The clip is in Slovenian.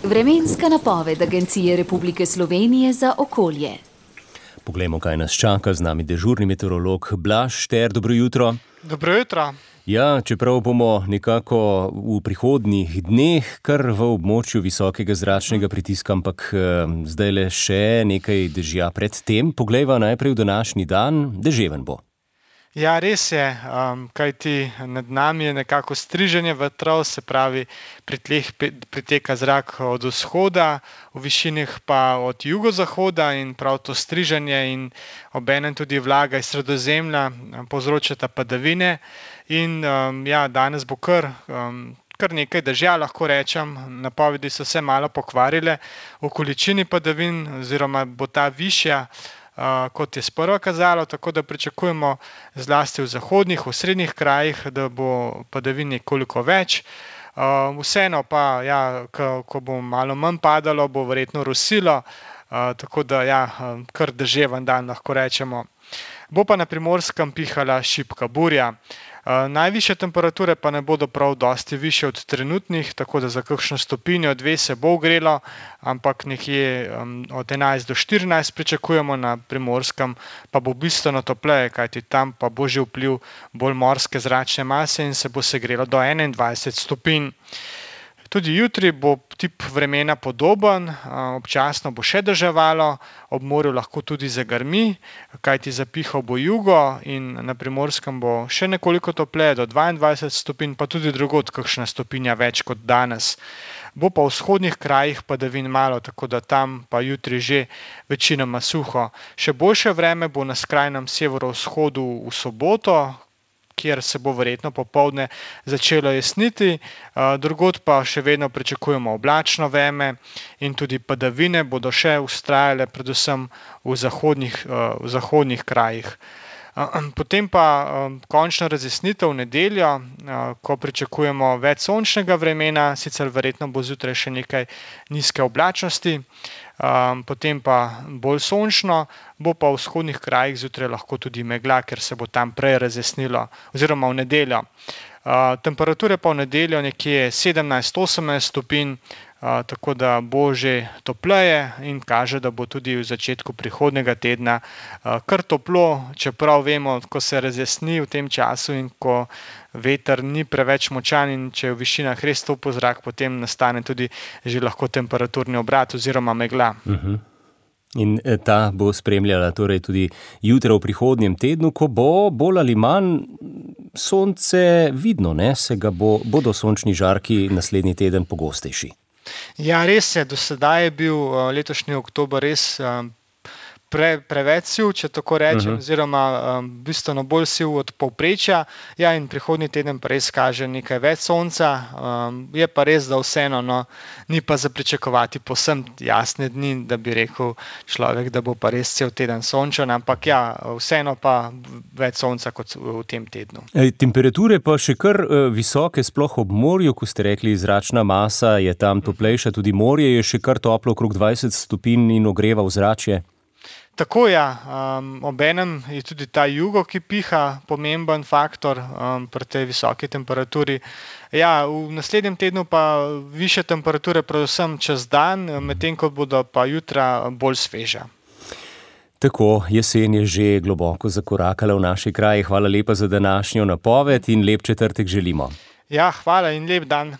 Vremenska napoved Agencije Republike Slovenije za okolje. Poglejmo, kaj nas čaka. Z nami dežurni meteorolog Blaž Šter. Dobro jutro. Dobro jutro. Ja, čeprav bomo nekako v prihodnjih dneh kar v območju visokega zračnega pritiska, ampak zdaj le še nekaj dežja pred tem. Poglejva najprej v današnji dan. Deževen bo. Ja, res je, kajti nad nami je nekako striženje vetrov, se pravi, pri tleh priteka zrak od vzhoda, v višinah pa od jugozahoda in prav to striženje in obenem tudi vlaga iz Sredozemlja povzročata padavine. In ja, danes bo kar nekaj dežja, lahko rečem. Napovedi so se malo pokvarile v količini padavin, oziroma bo ta višja, kot je sprva kazalo, tako da pričakujemo zlasti v zahodnih, v srednjih krajih, da bo padavin nekoliko več. Vseeno pa, ja, ko bo malo manj padalo, bo verjetno rosilo, tako da ja, kar deževen dan, lahko rečemo. Bo pa na Primorskem pihala šibka burja. Najvišje temperature pa ne bodo prav dosti višje od trenutnih, tako da za kakšno stopinjo, dve se bo ogrelo, ampak nekje od 11 do 14 pričakujemo, na Primorskem pa bo bistveno topleje, kajti tam pa bo že vpliv bolj morske zračne mase in se bo segrelo do 21 stopinj. Tudi jutri bo tip vremena podoben, občasno bo še deževalo, ob morju lahko tudi zagrmi, kajti zapihal bo jugo in na Primorskem bo še nekoliko topleje, do 22 stopinj, pa tudi drugod kakšna stopinja več kot danes. Bo pa v vzhodnih krajih padavin malo, tako da tam pa jutri že večinoma suho. Še boljše vreme bo na skrajnem severovzhodu v soboto, kjer se bo verjetno popoldne začelo jesniti, drugod pa še vedno pričakujemo oblačno vreme in tudi padavine bodo še vztrajale predvsem v zahodnih krajih. Potem pa končna razjasnitev v nedeljo, ko pričakujemo več sončnega vremena, sicer verjetno bo zjutraj še nekaj nizke oblačnosti, potem pa bolj sončno, bo pa v vzhodnih krajih zjutraj lahko tudi megla, ker se bo tam prej razjasnilo, oziroma v nedeljo. Temperature pa v nedeljo nekje 17-18 stopinj, tako da bo že topleje in kaže, da bo tudi v začetku prihodnjega tedna kar toplo, čeprav vemo, ko se razjasni v tem času in ko veter ni preveč močan in če je v višinah res topel zrak, potem nastane tudi že lahko temperaturni obrat oziroma megla. In ta bo spremljala torej tudi jutro v prihodnjem tednu, ko bo bolj ali manj sonce vidno, ne? Bodo sončni žarki naslednji teden pogostejši. Ja, res je, do sedaj je bil letošnji oktober res preveč siv, če tako rečem, oziroma bistveno bolj siv od povprečja. Ja, in prihodnji teden pa res kaže nekaj več sonca. Je pa res, da vseeno, ni pa za pričakovati povsem jasne dni, da bi rekel človek, da bo pa res cel teden sončen, ampak ja, vseeno pa več sonca kot v tem tednu. Temperature pa še kar visoke, sploh ob morju, ko ste rekli, zračna masa je tam toplejša, tudi morje je še kar toplo, okrog 20 stopinj in ogreva ozračje. Tako ja, obenem je tudi ta jugo, ki piha, pomemben faktor pri tej visoki temperaturi. Ja, v naslednjem tednu pa višje temperature predvsem čez dan, medtem ko bodo pa jutra bolj sveža. Tako, jesen je že globoko zakorakala v naši kraji. Hvala lepa za današnjo napoved in lep četrtek želimo. Ja, hvala in lep dan.